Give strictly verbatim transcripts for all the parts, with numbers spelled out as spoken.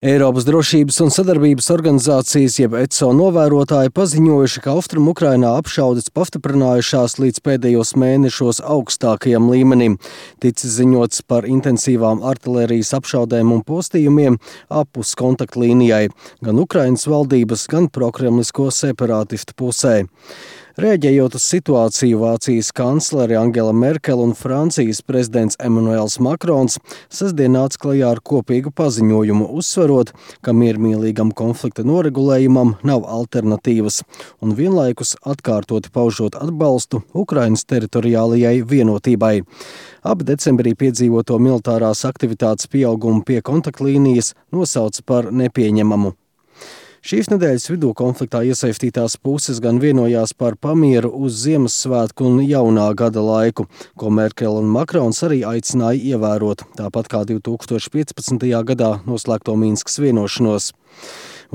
Eiropas drošības un sadarbības organizācijas jeb E C O novērotāji paziņojuši, ka Austrumu Ukrainā apšaudes pastiprinājušās līdz pēdējos mēnešos augstākajam līmenim. Ticis ziņots par intensīvām artilērijas apšaudēm un postījumiem apus kontaktlīnijai, gan Ukrainas valdības, gan prokremlisko separātistu pusē. Rēģējot uz situāciju, Vācijas kanclere Angela Merkele un Francijas prezidents Emmanuels Makrons sestdien nāca klajā ar kopīgu paziņojumu, uzsverot, ka miermīlīgam konflikta noregulējumam nav alternatīvas, un vienlaikus atkārtoti paužot atbalstu Ukrainas teritoriālajai vienotībai. Abi decembrī piedzīvoto militārās aktivitātes pieaugumu pie kontaktlīnijas nosauca par nepieņemamu. Šīs nedēļas vidū konfliktā iesaistītās puses gan vienojās par pamieru uz Ziemassvētku un jaunā gada laiku, ko Merkele un Makrons arī aicināja ievērot, tāpat kā divi tūkstoši piecpadsmitajā gadā noslēgto Minskas vienošanos.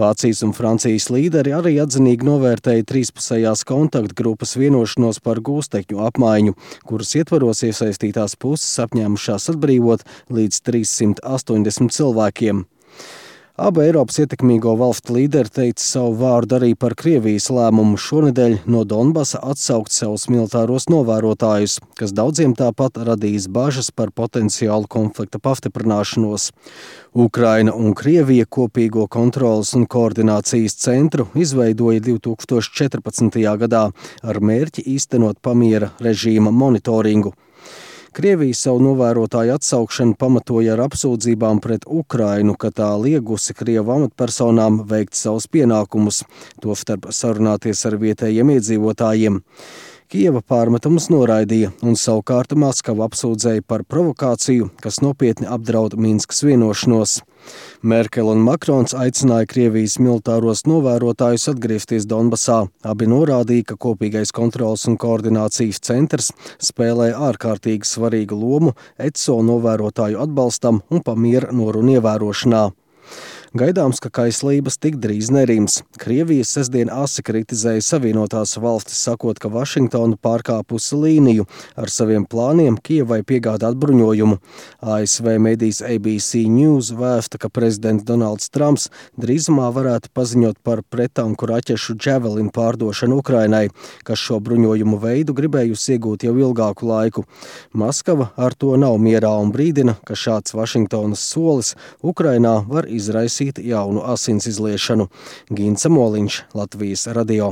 Vācijas un Francijas līderi arī atzinīgi novērtēja trīspusējās kontaktgrupas vienošanos par gūstekņu apmaiņu, kuras ietvaros iesaistītās puses apņēmušās atbrīvot līdz trīssimt astoņdesmit cilvēkiem. Abu Eiropas ietekmīgo valstu līderi teica savu vārdu arī par Krievijas lēmumu šonedēļ no Donbasa atsaukt savus militāros novērotājus, kas daudziem tāpat radīs bažas par potenciālu konflikta pastiprināšanos. Ukraina un Krievija kopīgo kontrolas un koordinācijas centru izveidoja divi tūkstoši četrpadsmitajā gadā ar mērķi īstenot pamiera režīma monitoringu. Krievija savu novērotāju atsaukšanu pamatoja ar apsūdzībām pret Ukrainu, ka tā liegusi Krievu amatpersonām veikt savus pienākumus, tostarp sarunāties ar vietējiem iedzīvotājiem. Kijeva pārmetumus noraidīja un savukārt Maskava apsūdzēja par provokāciju, kas nopietni apdraud Minskas vienošanos. Merkele un Makrons aicināja Krievijas militāros novērotājus atgriezties Donbasā. Abi norādīja, ka kopīgais kontrolas un koordinācijas centrs spēlē ārkārtīgi svarīgu lomu E C O novērotāju atbalstam un pamiera norunu ievērošanā. Gaidāms, ka kaislības tik drīz nerims. Krievija sestdien asi kritizēja Savienotās valstis, sakot, ka Vašingtona pārkāpusi līniju ar saviem plāniem Kijevai piegādāt bruņojumu. A S V medijs A B C News vēsta, ka prezidents Donalds Trumps drīzumā varētu paziņot par prettanku raķešu Javelin pārdošanu Ukrainai, kas šo bruņojumu veidu gribējusi iegūt jau ilgāku laiku. Maskava ar to nav mierā un brīdina, ka šāds Vašingtonas solis Ukrainā var izraisīt jaunu asins izliešanu. Gints Moliņš, Latvijas radio.